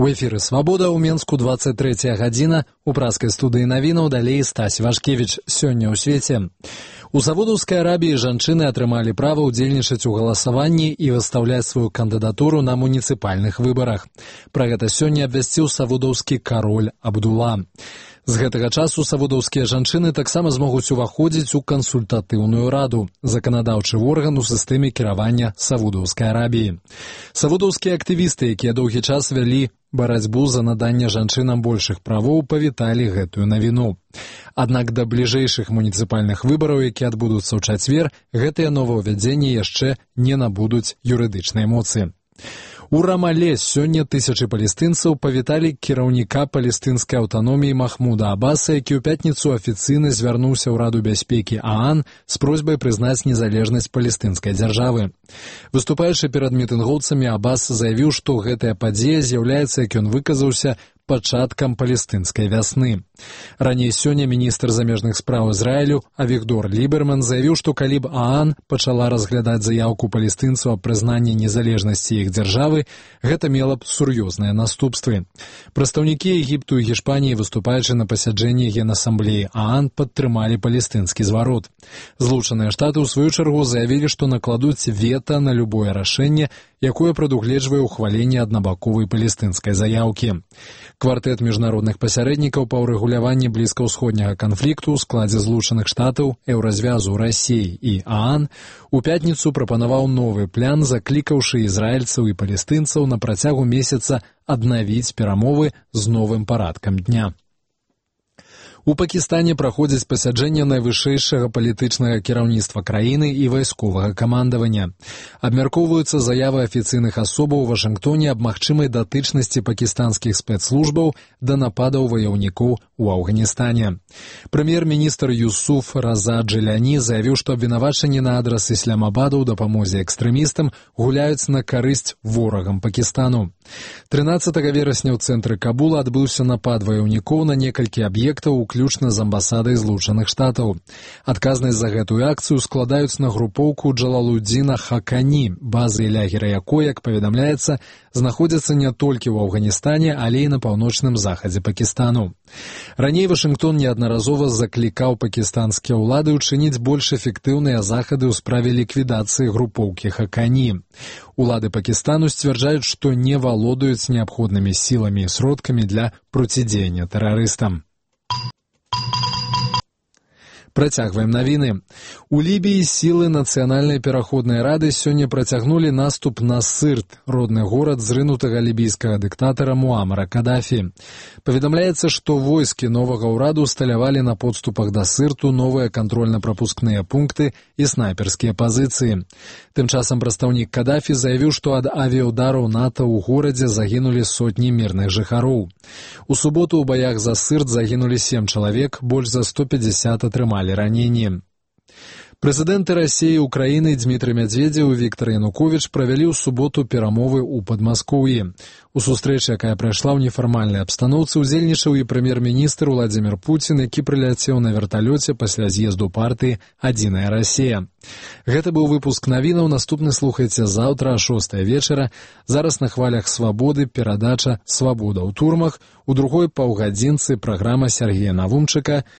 У эфіры «Свабода» ў Менску 23 гадзіна. У праскай студыі навінаў далей Стась Вашкевіч. Сёння ў свеце. У Саудаўскай Арабіі жанчыны атрымалі права ўдзельнічаць у галасаванні і выстаўляць сваю кандыдатуру на муніцыпальных выбарах. Пра гэта сёння абвясціў саудаўскі кароль Абдула. З гэтага часу саудаўскія жанчыны таксама змогуць уваходзіць у кансультатыўную раду, заканадаўчы орган у сістэме кіравання Саудаўскай Арабіі. Саудаўскія актывісты, якія доўгі час вялі барацьбу за наданне жанчынам большых правоў, павіталі гэтую навіну. Аднак да бліжэйшых муніцыпальных выбараў, якія адбудуцца ў чацвер, гэтыя новаўвядзенні яшчэ не набудуць юрыдычнай моцы. У Рамале сёння тысячы палестынцаў павіталі кіраўніка палестынскай аўтаноміі Махмуда Аббаса, які ў пятніцу афіцыйна звярнуўся ў Раду бяспекі ААН з просьбай прызнаць незалежнасць палестынскай дзяржавы. Выступаючы перад мітынгоўцамі, Аббас заявіў, што гэтая падзея з'яўляецца, як ён выказаўся, пачаткам палестынскай вясны. Раней сёння міністр замежных спраў Ізраілю Авігдор Ліберман заявіў, што калі б ААН пачала разглядаць заяўку палестынцаў аб прызнанні незалежнасці іх дзяржавы, гэта мела б сур'ёзныя наступствы. Прадстаўнікі Егіпту і Гішпаніі, выступаючы на пасяджэнні Генасамблеі ААН, падтрымалі палестынскі зварот. Злучаныя Штаты, у сваю чаргу, заявілі, што накладуць вета на любое рашэнне, якое прадугледжвае ўхваленне аднабаковай палестынскай заяўкі. Квартэт міжнародных пасярэднікаў па ўрэгуляванні блізкаўсходняга канфлікту ў складзе Злучаных Штатаў, Еўразвязу, Расіі і ААН у пятніцу прапанаваў новы план, заклікаўшы ізраільцаў і палестынцаў на працягу месяца аднавіць перамовы з новым парадкам дня. У Пакістане праходзіць пасяджэнне найвышэйшага палітычнага кіраўніцтва краіны і вайсковага камандавання. Абмяркоўваюцца заявы афіцыйных асобаў у Вашынгтоне аб магчымай датычнасці пакістанскіх спецслужбаў да нападаў ваяўнікоў у Афганістане. Прэм'ер-міністр Юсуф Раза Джиляні заявіў, што абвінавачанні на адрас Ісламабада ў дапамозе экстрэмістам гуляюць на карысць ворагам Пакістану. 13 верасня ў цэнтры Кабула адбыўся напад ваяўнікоў на некалькі аб'ектаў, уключна з амбасадай Злучаных Штатаў. Адказнасць за гэтую акцыю складаюць на групоўку Джалалудзіна Хакані, базы і лягера якой, як паведамляецца, знаходзяцца не толькі ў Афганістане, але і на паўночным захадзе Пакістану. Раней Вашынгтон неаднаразова заклікаў пакістанскія ўлады ўчыніць больш эфектыўныя захады ў справе ліквідацыі групоўкі Хакані. Улады Пакістану сцвярджаюць, што не валодаюць неабходнымі сіламі і сродкамі для процідзеяння тэрарыстам. Працягваем навіны. У Лібіі сілы Нацыянальнай пераходнай рады сёння працягнулі наступ на Сырт, родны горад зрынутага лібійскага дыктатара Муамара Кадафі. Паведамляецца, што войскі новага ўраду усталявалі на подступах да Сырту новыя кантрольна-прапускныя пункты і снайперскія пазіцыі. Тым часам прадстаўнік Кадафі заявіў, што ад авіяўдараў НАТО ў горадзе загінулі сотні мірных жыхароў. У суботу ў баях за Сырт загінулі 7 чалавек, больш за 150 атрымалі раненні. Прэзідэнты Расіі і Украіны Дзмітрый Мядзведзеў і Віктар Януковіч правялі ў суботу перамовы ў Падмаскоўі. У сустрэчы, якая прайшла ў нефармальнай абстаноўцы, удзельнічаў і прэм'ер-міністр Уладзімір Пуцін, які прыляцеў на верталёце пасля з'езду партыі «Адзіная Расія». Гэта быў выпуск навінаў, наступны слухайце заўтра о 6 вечара. Зараз на хвалях Свабоды перадача «Свабода ў турмах», у другой паўгадзінцы праграма Сергея Навумчыка